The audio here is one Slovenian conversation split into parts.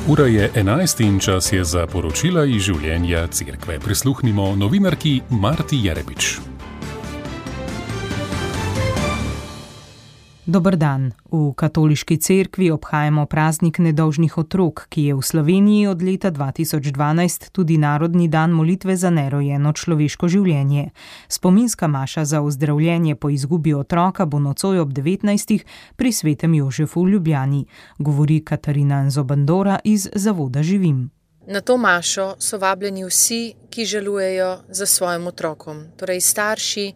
Ura je 11 in čas je za poročila iz življenja cerkve. Prisluhnimo novinarki Marti Jerebič. Dober dan. V katoliški cerkvi obhajamo praznik nedolžnih otrok, ki je v Sloveniji od leta 2012 tudi narodni dan molitve za nerojeno človeško življenje. Spominska maša za ozdravljenje po izgubi otroka bo nocoj ob 19. pri Svetem Jožefu v Ljubljani, govori Katarina Nzobandora iz Zavoda Živim. Na to mašo so vabljeni vsi, ki žalujejo za svojim otrokom, torej starši,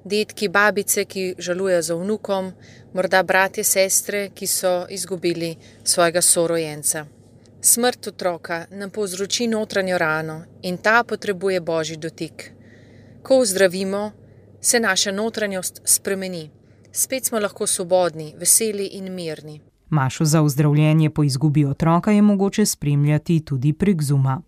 dedki, babice, ki žalujejo za vnukom, morda bratje, sestre, ki so izgubili svojega sorojenca. Smrt otroka nam povzroči notranjo rano in ta potrebuje Božji dotik. Ko ozdravimo, se naša notranjost spremeni. Spet smo lahko svobodni, veseli in mirni. Mašo za ozdravljenje po izgubi otroka je mogoče spremljati tudi prek Zooma.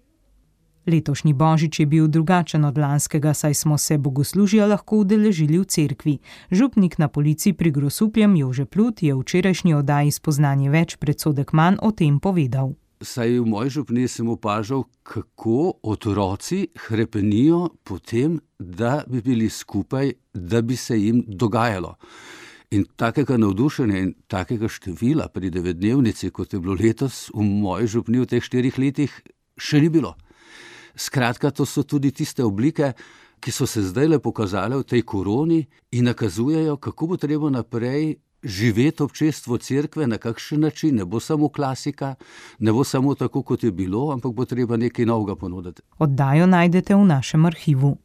Letošnji božič je bil drugačen od lanskega, saj smo se bogoslužja lahko udeležili v cerkvi. Župnik na Polici pri Grosupljem Jože Plut je v včerajšnji oddaji Spoznanje več predsodek manj o tem povedal. Saj v moji župni sem opažal, kako otroci hrepenijo po tem, da bi bili skupaj, da bi se jim dogajalo. In takega navdušenja in takega števila pri 9-dnevnici, kot je bilo letos v moji župni v teh 4 letih, še ni bilo. Skratka, to so tudi tiste oblike, ki so se zdajle pokazale v tej koroni in nakazujejo, kako bo treba naprej živeti občestvo cerkve, na kakšen način. Ne bo samo klasika, ne bo samo tako, kot je bilo, ampak bo treba nekaj novega ponuditi. Oddajo najdete v našem arhivu.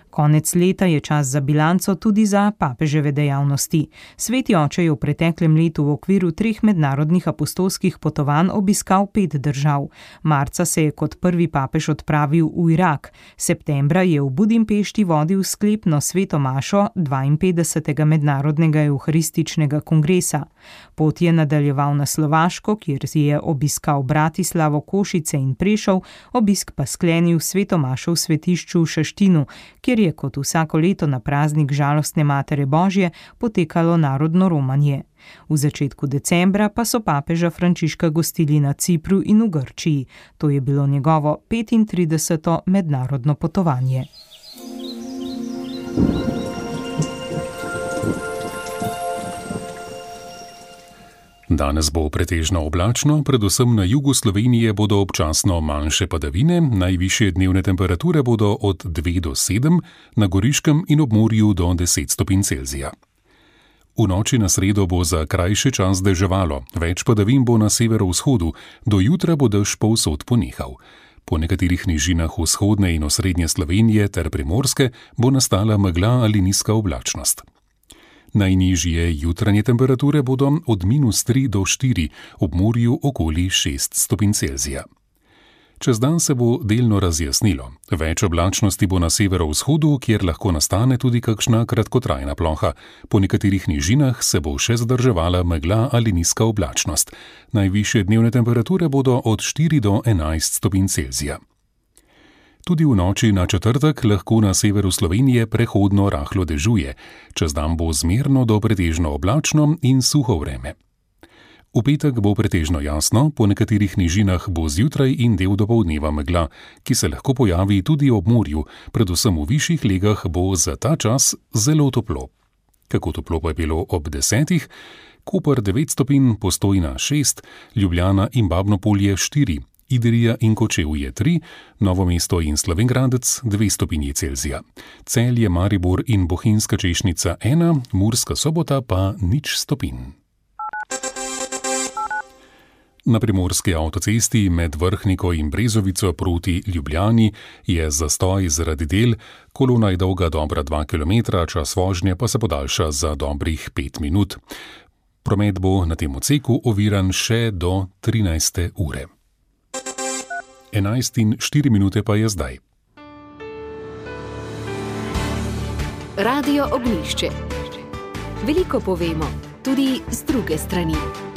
Konec leta je čas za bilanco tudi za papeževe dejavnosti. Sveti oče je v preteklem letu v okviru 3 mednarodnih apostolskih potovanj obiskal 5 držav. Marca se je kot prvi papež odpravil v Irak. Septembra je v Budimpešti vodil sklepno sveto mašo 52. mednarodnega evharističnega kongresa. Pot je nadaljeval na Slovaško, kjer je obiskal Bratislavo, Košice in Prešov, obisk pa sklenil sveto mašo v svetišču v Šaštinu, kjer je kot vsako leto na praznik žalostne Matere Božje potekalo narodno romanje. V začetku decembra pa so papeža Frančiška gostili na Cipru in v Grčiji. To je bilo njegovo 35. mednarodno potovanje. Danes bo pretežno oblačno, predvsem na jugu Slovenije bodo občasno manjše padavine, najvišje dnevne temperature bodo od 2 do 7, na Goriškem in ob morju do 10 stopinj Celzija. V noči na sredo bo za krajši čas deževalo, več padavin bo na severovzhodu, do jutra bo dež povsod ponehal. Po nekaterih nižinah vzhodne in osrednje Slovenije ter Primorske bo nastala megla ali nizka oblačnost. Najnižje jutranje temperature bodo od -3 do 4, ob morju okoli 6 stopinj Celzija. Čez dan se bo delno razjasnilo. Več oblačnosti bo na severovzhodu, kjer lahko nastane tudi kakšna kratkotrajna ploha. Po nekaterih nižinah se bo še zadrževala megla ali nizka oblačnost. Najvišje dnevne temperature bodo od 4 do 11 stopinj Celzija. Tudi v noči na četrtek lahko na severu Slovenije prehodno rahlo dežuje. Čez dan bo zmerno do pretežno oblačno in suho vreme. V petek bo pretežno jasno, po nekaterih nižinah bo zjutraj in del dopoldneva megla, ki se lahko pojavi tudi ob morju, predvsem v višjih legah bo za ta čas zelo toplo. Kako toplo pa je bilo ob 10? Koper 9 stopinj, Postojna 6, Ljubljana in Babnopolje 4, Idrija in Kočevje 3, Novo mesto in Slovenj Gradec 2 stopinji Celzija. Celje, Maribor in Bohinjska Češnica 1, Murska Sobota pa 0 stopinj. Na primorski avtocesti med Vrhniko in Brezovico proti Ljubljani je zastoj zaradi del, kolona je dolga dobra 2 km, čas vožnje pa se podaljša za dobrih 5 minut. Promet bo na tem odseku oviran še do 13. ure. 11:04 pa je zdaj. Radio Ognjišče. Veliko povemo, tudi z druge strani.